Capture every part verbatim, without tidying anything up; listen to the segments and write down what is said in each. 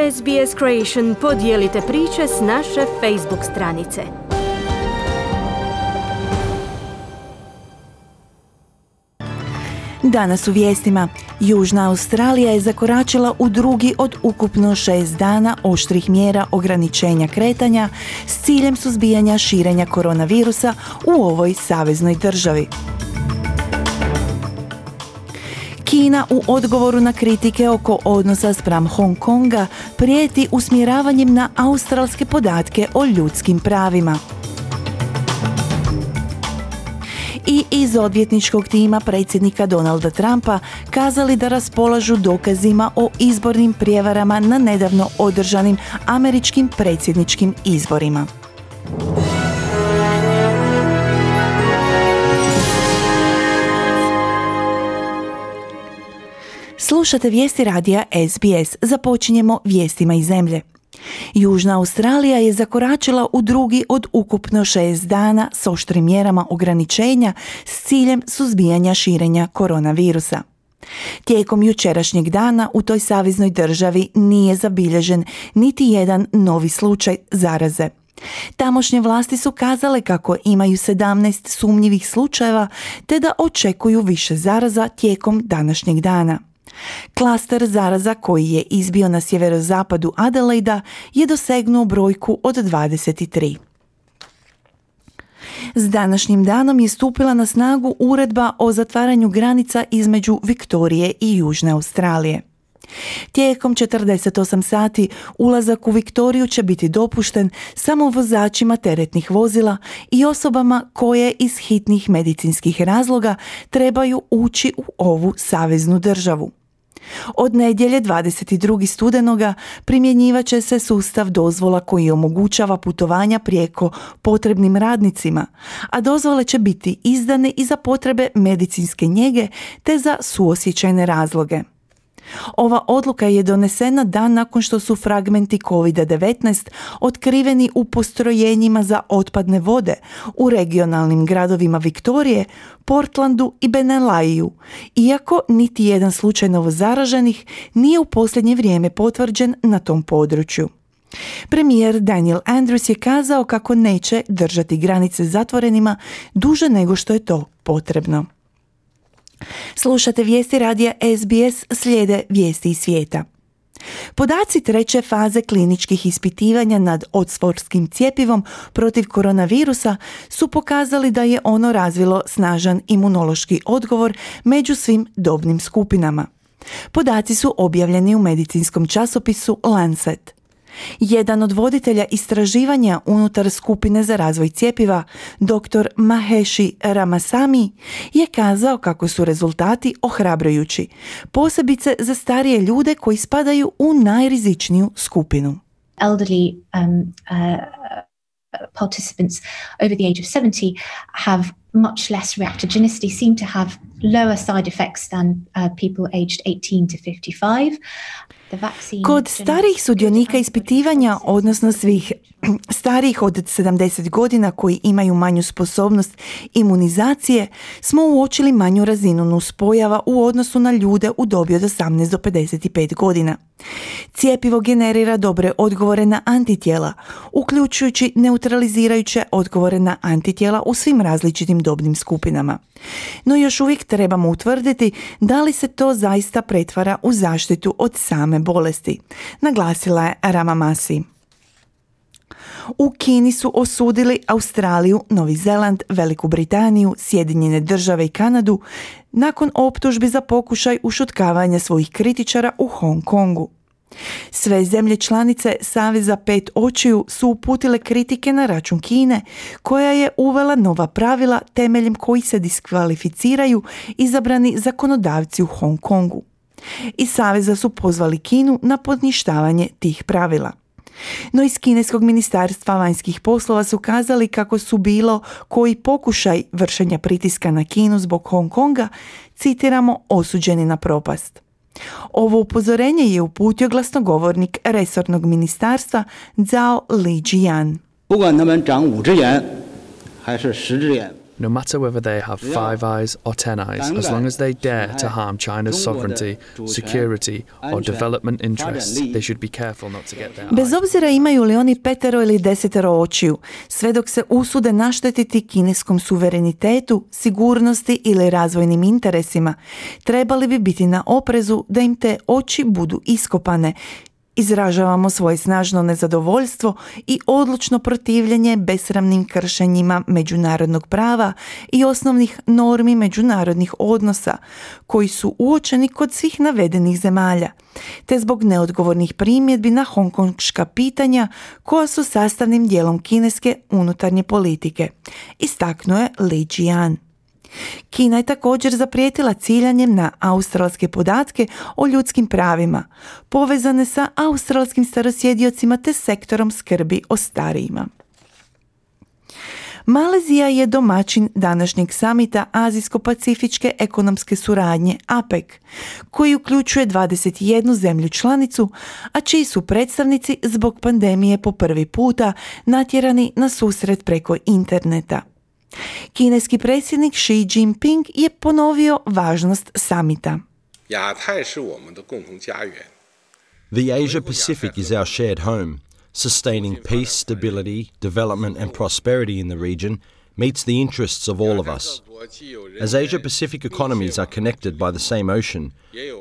S B S Creation podijelite priče s naše Facebook stranice. Danas u vijestima. Južna Australija je zakoračila u drugi od ukupno šest dana oštrih mjera ograničenja kretanja s ciljem suzbijanja širenja koronavirusa u ovoj saveznoj državi. Kina u odgovoru na kritike oko odnosa spram Hong Konga prijeti usmjeravanjem na australske podatke o ljudskim pravima. I iz odvjetničkog tima predsjednika Donalda Trumpa kazali da raspolažu dokazima o izbornim prijevarama na nedavno održanim američkim predsjedničkim izborima. Slušate vijesti radija S B S. Započinjemo vijestima iz zemlje. Južna Australija je zakoračila u drugi od ukupno šest dana s oštrim mjerama ograničenja s ciljem suzbijanja širenja koronavirusa. Tijekom jučerašnjeg dana u toj saveznoj državi nije zabilježen niti jedan novi slučaj zaraze. Tamošnje vlasti su kazale kako imaju sedamnaest sumnjivih slučajeva te da očekuju više zaraza tijekom današnjeg dana. Klaster zaraza koji je izbio na sjeverozapadu Adelaida je dosegnuo brojku od dvadeset tri. S današnjim danom je stupila na snagu uredba o zatvaranju granica između Viktorije i Južne Australije. Tijekom četrdeset osam sati ulazak u Viktoriju će biti dopušten samo vozačima teretnih vozila i osobama koje iz hitnih medicinskih razloga trebaju ući u ovu saveznu državu. Od nedjelje dvadeset drugog studenoga primjenjivat će se sustav dozvola koji omogućava putovanja prijeko potrebnim radnicima, a dozvole će biti izdane i za potrebe medicinske njege te za suosjećajne razloge. Ova odluka je donesena dan nakon što su fragmenti kovid devetnaest otkriveni u postrojenjima za otpadne vode u regionalnim gradovima Viktorije, Portlandu i Benelaju, iako niti jedan slučaj novozaraženih nije u posljednje vrijeme potvrđen na tom području. Premijer Daniel Andrews je kazao kako neće držati granice zatvorenima duže nego što je to potrebno. Slušate vijesti radija S B S, slijede vijesti iz svijeta. Podaci treće faze kliničkih ispitivanja nad oksfordskim cjepivom protiv koronavirusa su pokazali da je ono razvilo snažan imunološki odgovor među svim dobnim skupinama. Podaci su objavljeni u medicinskom časopisu Lancet. Jedan od voditelja istraživanja unutar skupine za razvoj cjepiva, doktor Maheshi Ramasamy, je kazao kako su rezultati ohrabrujući, posebice za starije ljude koji spadaju u najrizičniju skupinu. Elderly um, uh, participants over the age of seventy have much less reactogenicity, seem to have lower side effects than uh, people aged eighteen to fifty-five. Kod starijih sudionika ispitivanja, odnosno svih starijih od sedamdeset godina koji imaju manju sposobnost imunizacije, smo uočili manju razinu nuspojava u odnosu na ljude u dobi od osamnaest do pedeset pet godina. Cijepivo generira dobre odgovore na antitijela, uključujući neutralizirajuće odgovore na antitijela u svim različitim dobnim skupinama. No još uvijek trebamo utvrditi da li se to zaista pretvara u zaštitu od same bolesti, naglasila je Ramasamy. U Kini su osudili Australiju, Novi Zeland, Veliku Britaniju, Sjedinjene države i Kanadu nakon optužbi za pokušaj ušutkavanja svojih kritičara u Hong Kongu. Sve zemlje članice Saveza pet očiju su uputile kritike na račun Kine, koja je uvela nova pravila temeljem kojih se diskvalificiraju izabrani zakonodavci u Hong Kongu. Iz Saveza su pozvali Kinu na poništavanje tih pravila. No iz kineskog ministarstva vanjskih poslova su kazali kako su bilo koji pokušaj vršenja pritiska na Kinu zbog Hong Konga, citiramo, osuđeni na propast. Ovo upozorenje je uputio glasnogovornik resornog ministarstva Zhao Lijian. no matter whether they have five eyes or ten eyes, as long as they dare to harm China's sovereignty, security or development interests, they should be careful not to get their Bez obzira imaju li oni petero ili desetero očiju, sve dok se usude naštetiti kineskom suverenitetu, sigurnosti ili razvojnim interesima, trebali bi biti na oprezu da im te oči budu iskopane. Izražavamo svoje snažno nezadovoljstvo i odlučno protivljenje besramnim kršenjima međunarodnog prava i osnovnih normi međunarodnih odnosa, koji su uočeni kod svih navedenih zemalja, te zbog neodgovornih primjedbi na hongkonška pitanja koja su sastavnim dijelom kineske unutarnje politike, istaknuo je Li Jian. Kina je također zaprijetila ciljanjem na australske podatke o ljudskim pravima, povezane sa australskim starosjediocima te sektorom skrbi o starijima. Malezija je domaćin današnjeg samita Azijsko-pacifičke ekonomske suradnje A P E C, koji uključuje dvadeset jednu zemlju članicu, a čiji su predstavnici zbog pandemije po prvi puta natjerani na susret preko interneta. Kineski predsjednik Xi Jinping je ponovio važnost samita. The Asia Pacific is our shared home. Sustaining peace, stability, development and prosperity in the region meets the interests of all of us. As Asia-Pacific economies are connected by the same ocean,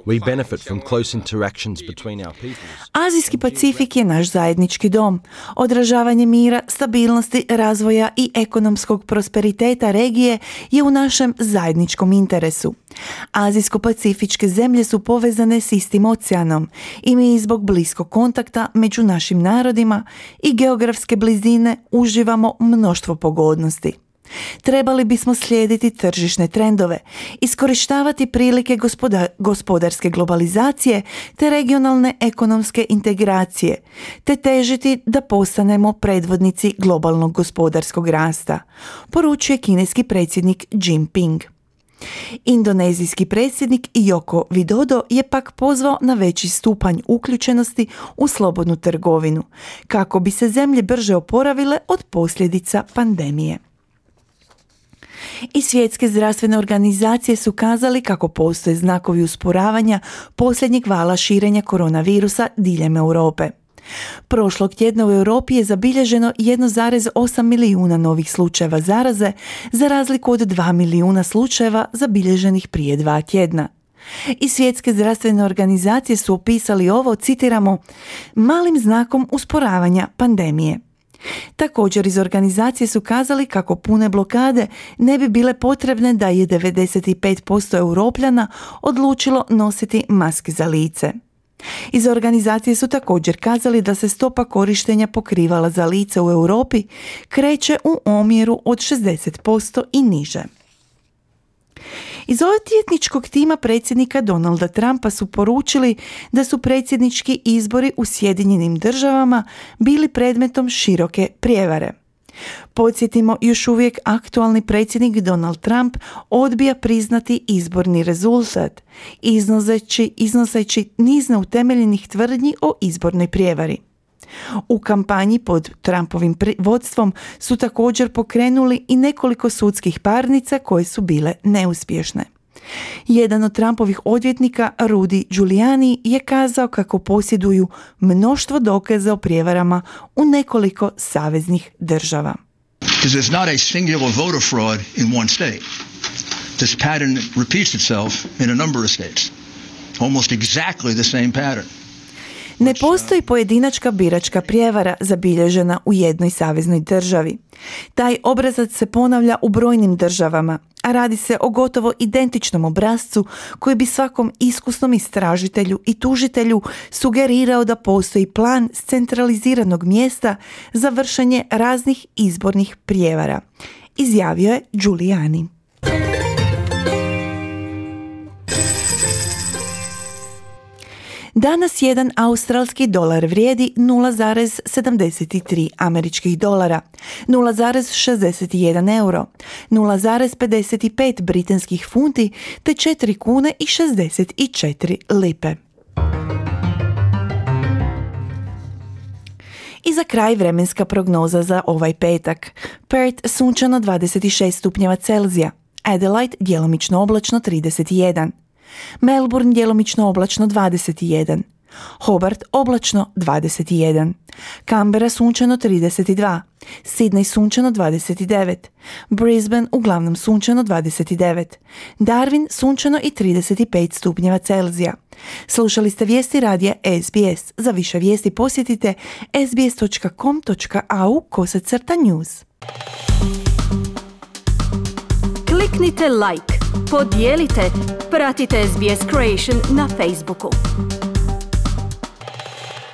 we benefit from close interactions between our peoples. Azijski Pacifik je naš zajednički dom. Odražavanje mira, stabilnosti, razvoja i ekonomskog prosperiteta regije je u našem zajedničkom interesu. Azijsko-pacifičke zemlje su povezane s istim oceanom i mi zbog bliskog kontakta među našim narodima i geografske blizine uživamo mnoštvo pogodnosti. Trebali bismo slijediti tržišne trendove, iskorištavati prilike gospoda, gospodarske globalizacije te regionalne ekonomske integracije, te težiti da postanemo predvodnici globalnog gospodarskog rasta, poručuje kineski predsjednik Jinping. Indonezijski predsjednik Joko Widodo je pak pozvao na veći stupanj uključenosti u slobodnu trgovinu, kako bi se zemlje brže oporavile od posljedica pandemije. I svjetske zdravstvene organizacije su kazali kako postoje znakovi usporavanja posljednjeg vala širenja koronavirusa diljem Europe. Prošlog tjedna u Europi je zabilježeno jedan zarez osam milijuna novih slučajeva zaraze, za razliku od dva milijuna slučajeva zabilježenih prije dva tjedna. I svjetske zdravstvene organizacije su opisali ovo, citiramo, malim znakom usporavanja pandemije. Također iz organizacije su kazali kako pune blokade ne bi bile potrebne da je devedeset pet posto Europljana odlučilo nositi maske za lice. Iz organizacije su također kazali da se stopa korištenja pokrivala za lice u Europi kreće u omjeru od šezdeset posto i niže. Iz odvjetničkog tima predsjednika Donalda Trumpa su poručili da su predsjednički izbori u Sjedinjenim državama bili predmetom široke prijevare. Podsjetimo, još uvijek aktualni predsjednik Donald Trump odbija priznati izborni rezultat, iznoseći, iznoseći niz neutemeljenih tvrdnji o izbornoj prijevari. U kampanji pod Trumpovim vodstvom su također pokrenuli i nekoliko sudskih parnica koje su bile neuspješne. Jedan od Trumpovih odvjetnika, Rudy Giuliani, je kazao kako posjeduju mnoštvo dokaza o prijevarama u nekoliko saveznih država. Because it's not a singular voter fraud in one state. This pattern repeats itself in a number of states. Almost exactly the same pattern. Ne postoji pojedinačka biračka prijevara zabilježena u jednoj saveznoj državi. Taj obrazac se ponavlja u brojnim državama, a radi se o gotovo identičnom obrascu koji bi svakom iskusnom istražitelju i tužitelju sugerirao da postoji plan s centraliziranog mjesta za vršenje raznih izbornih prijevara, izjavio je Giuliani. Danas jedan australski dolar vrijedi nula zarez sedamdeset tri američkih dolara, nula zarez šezdeset jedan euro, nula zarez pedeset pet britanskih funti te četiri kune i šezdeset četiri lipe. I za kraj vremenska prognoza za ovaj petak. Perth sunčano dvadeset šest stupnjeva Celzija, Adelaide djelomično oblačno trideset jedan, Melbourne djelomično oblačno dvadeset jedan, Hobart oblačno dvadeset jedan, Canberra sunčano trideset dva, Sydney sunčano dvadeset devet, Brisbane uglavnom sunčano dvadeset devet, Darwin sunčano i trideset pet stupnjeva Celzija. Slušali ste vijesti radija S B S. Za više vijesti posjetite sbs dot com dot a u kosacrta news. Kliknite like, podijelite, pratite S B S Creation na Facebooku.